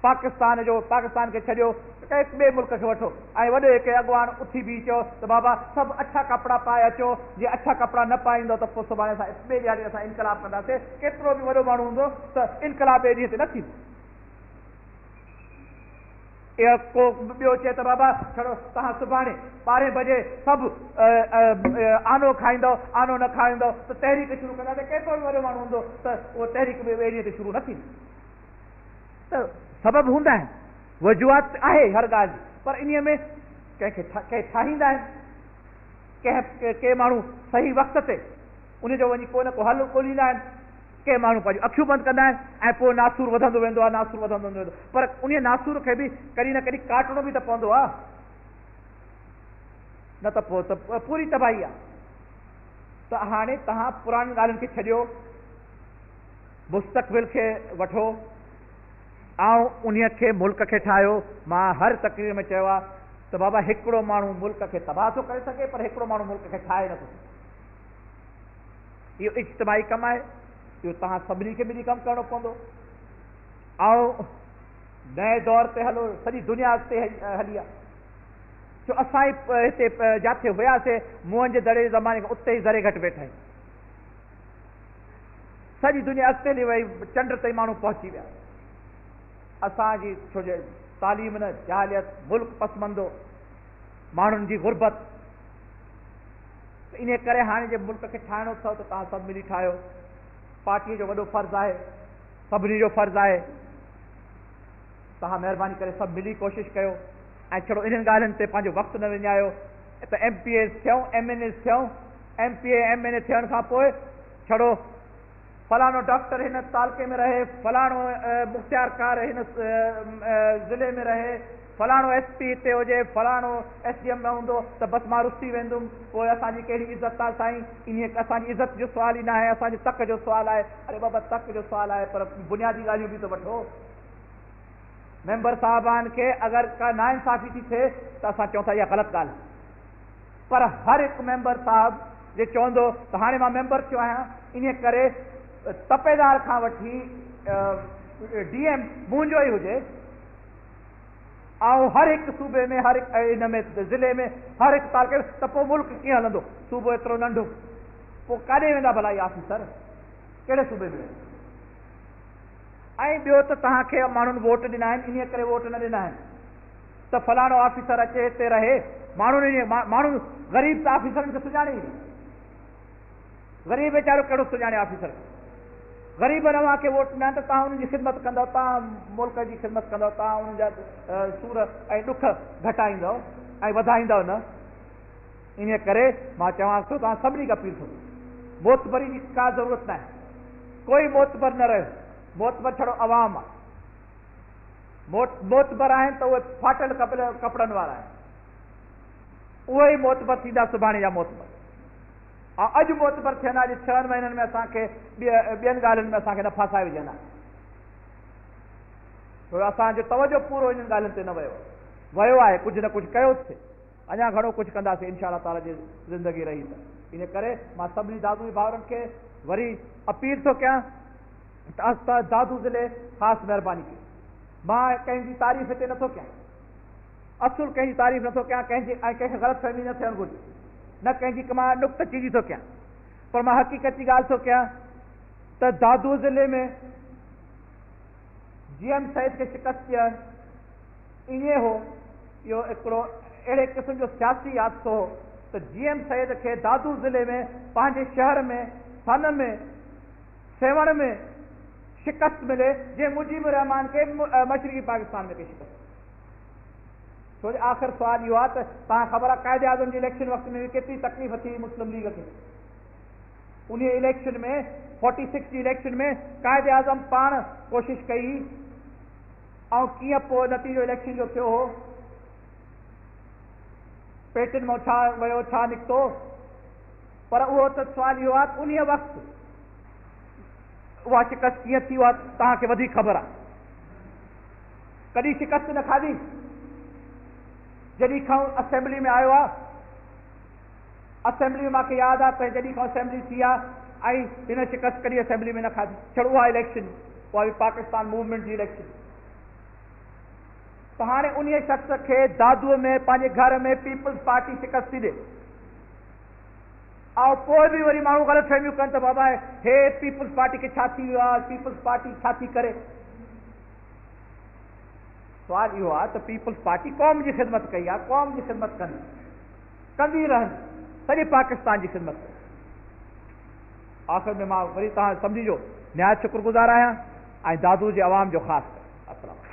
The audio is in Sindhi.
پاڪستان جو پاڪستان کي ڇڏيو ڪنهن ٻئي ملڪ کي وٺو ۽ وڏي هڪ اڳواڻ اٿي بيهي چيو ته بابا سڀ اڇا ڪپڙا پائي اچو، جي اڇا ڪپڙا نه پائيندؤ ته پوء سڀاڻي اسان ٻئي ڏهاڙي اسان انقلاب ڪنداسين. ڪيترو به وڏو ماڻهو هوندو ته انقلاب ٻئي ڏينهن تي نه ٿيندو. اهو ڪو ٻيو چئي ته بابا ڇڙو توهان سڀاڻي ٻارهين بجي سڀ آنو کائيندؤ، آنو نه کائيندؤ ته تحريڪ شروع ڪنداسين. ڪيترو به وڏو ماڻهو هوندو ته اهو تحريڪ به ٻئي ڏينهن تي شروع نه ٿيندي. ته سبب هوندا آهن، وجوهات آهي هر ڳالهه جي، پر انهيء ۾ ڪنهن کي ڪي ٺاهيندا آهن، ڪنهن ڪي ماڻهو صحيح وقت تي ان جو وڃي ڪو نه ڪو حل ڳوليندا آهن، ڪي ماڻهو پنهنجون اکيون بند ڪندا آهن ۽ پوء ناسور وڌندو ويندو آهي، ناسور وڌندو ويندو آهي، پر انهيء ناسور کي به ڪڏهن نه ڪڏهن ڪاٽڻو به ته پوندو آهي، نه ته پوء ته پوري تباهي آهي. ته هاڻي توهان پراڻين ڳالهين کي ڇڏيو. مستقبل کي وٺو ۽ انهيء کي ملڪ کي ٺاهيو. مان هر تقرير ۾ چيو آهي ته بابا هڪڙو ماڻهو ملڪ کي تباهه ٿو ڪري سگهي پر هڪڙو ماڻهو ملڪ کي ٺاهي نٿو سگهي. اهو اجتماعي ڪم آهي، اهو توهان سڀني کي ملي ڪم ڪرڻو پوندو ۽ نئين دور تي هلو، سڄي دنيا اڳتي هلي آهي. ڇو اسان ئي هتي جاٿي هياسي موهن جي دڙي جي زماني کان اتي ئي ذري گهٽ ويٺا آهيون. سڄي دنيا اڳتي هلي وئي، چنڊ تائين ماڻهو پهچي ويا. اسان جي ڇو جو تعليم نه، جاهليت، ملڪ پسماندو، ماڻهن جي غربت، ته انهيء ڪري هاڻي جي ملڪ کي ٺاهڻو اٿو ته توهان سڀ ملي ٺاهيو. پارٽيء جو وڏو فرض آهي، سڀني جو فرض آهي. توهان مهرباني ڪري سڀ ملي ڪوشش ڪيو ۽ ڇڙو انهن ڳالهين تي پنهنجو وقت نه وڃايو ته ايم پي ايز ٿيون، ايم اين ايز ٿيون، M P A, M N A ٿيڻ کان پوء ڇڙو فلاڻو ڊاڪٽر هن تعلقي ۾ رهي، فلاڻو مختيارڪار هن ضلعي ۾ رهي، فلاڻو ايس پي هتي هجي، فلاڻو ايس ڊي ايم نه هوندو ته بس مان رسي ويندم، پوء اسان جي ڪهڙي عزت آ سائين، انهيء اسان جي عزت جو سوال ئي ناهي، اسان جي تڪ جو سوال آهي. اري بابا تڪ جو سوال آهي پر بنيادي ڳالهيون به ته وٺو. ميمبر صاحبان کي اگر ڪا ناانصافي ٿي ٿئي ته اسان چئون ٿا اها غلط ڳالهه آهي. پر هر هڪ ميمبر صاحب جي چوندو ته هاڻي مان ميمبر ٿيو آهيان انهيء ڪري تپيدار کان وٺي ڊي ايم منهنجو ئي هجي ۽ هر هڪ صوبي ۾ هر هڪ ان ۾ ضلعي ۾ هر هڪ تعلقي ۾ ته پوء ملڪ ڪيئن هلندو؟ صوبو ايترو ننڍو پوء ڪاڏي ويندا ڀلا اهي آفيسر ڪهڙي صوبي ۾ ويندا؟ ۽ ٻيو ته توهان کي ماڻهن ووٽ ڏنا آهن انهيء ڪري ووٽ نه ڏنا آهن ته فلاڻو آفيسر اچي هتي رهي، ماڻهن انهيء ماڻهو غريب ته آفيسرن کي سڃاڻي ئي نه، غريب ويچارو ڪهڙو سڃاڻي آفيسر کي، غريبن اوهان کي ووٽ ڏنا آهن ته توهان انهن جي خدمت ڪندؤ، توهان ملڪ جي خدمت ڪندؤ، توهان انهن جا سور ۽ ڏک گهٽائيندؤ ۽ وڌائيندؤ نه، انهيء ڪري مان چوان ٿو توهان سڀني کي اپيل ٿو ڪيان، معتبري جي ڪا ضرورت ناهي، ڪوئي معتبر نه رهيو، معتبر ڇڙو عوام آهي. معتبر آهن ته اهي ڦاٽل ڪپڙن وارا آهن. اهي ئي معتبر ٿيندا سڀاڻي جا معتبر. ۽ اڄ معتبر ٿين ها جي ڇهن مهينن ۾ اسان کي ٻين ڳالهين ۾ اسان کي نه ڦاسائي وجهن ها. ڇو جو اسان جو توجه پورو انهن ڳالهين تي نه ويو آهي. ويو آهي ڪجهه نه ڪجهه ڪيو ٿي. اڃا گهڻو ڪجهه ڪنداسين انشاء الله تعالي جي زندگي رهي ته. ان ڪري مان سڀني دادوي ڀائرن کي وري اپيل ٿو ڪيان ته دادو ضلعي خاص مهرباني ڪئي. مان ڪنهن جي تعريف هتي نٿو ڪيان. اصل ڪنهن جي تعريف نٿو ڪيان ڪنهن جي ۽ ڪنهن کي غلط فهمي نه ٿيڻ گهرجي. نه ڪنهن جي مان نڪته چيني ٿو ڪيان. پر مان حقيقت جي ڳالهه ٿو ڪيان ته دادو ضلعي ۾ جي ايم سيد کي شڪست ڏيڻ ائين هو، اهو هڪڙو اهڙي قسم جو سياسي حادثو هو ته جي ايم سيد کي دادو ضلعي ۾ پنهنجي شهر ۾ سن ۾ سيوهڻ ۾ شڪست ملي جنهن مجيب الرحمان کي مشرقي پاڪستان ۾ ڪئي شڪست. ڇو جو آخر سوال اهو آهي ته توهان خبر آهي قائد اعظم جي اليڪشن وقت ۾ به ڪيتري تڪليف ٿي هئي مسلم ليگ کي. انهي اليڪشن ۾ فورٽي سڪس جي اليڪشن ۾ قائد اعظم پاڻ ڪوشش ڪئي هئي ۽ ڪيئن پوء نتيجو اليڪشن جو ٿيو هو. پيٽن مان ڇا ويو ڇا نڪتو. پر اهو ته سوال اهو آهي ته انهيء وقت اها شڪست ڪيئن ٿي اها توهان کي وڌيڪ خبر آهي. ڪڏهن شڪست نه کاڌي جڏهن کان اسيمبلي ۾ آيو آهي. اسيمبلي ۾ مانکي ياد آهي ته جڏهن کان اسيمبلي ٿي آهي ۽ هن شڪست ڪڏهن اسيمبلي ۾ نه کاڌي. ڇڙو اها اليڪشن اها به پاڪستان موومينٽ جي اليڪشن. ته هاڻي انهيء شخص کي دادوء ۾ پنهنجي گهر ۾ پيپلز پارٽي شڪست ٿي ڏي ۽ پوء به وري ماڻهو غلط فهميون ڪن ته بابا هي پيپلز پارٽي کي ڇا ٿي ويو آهي، پيپلز پارٽي ڇا ٿي ڪري؟ سوال اهو آهي ته پيپلز پارٽي قوم جي خدمت ڪئي آهي، قوم جي خدمت ڪندي، ڪندي رهندي، سڄي پاڪستان جي خدمت ڪندي. آخر ۾ مان وري توهان سڀني جو نهايت شڪر گذار آهيان ۽ دادو جي عوام جو خاص ڪري. السلام عليڪم.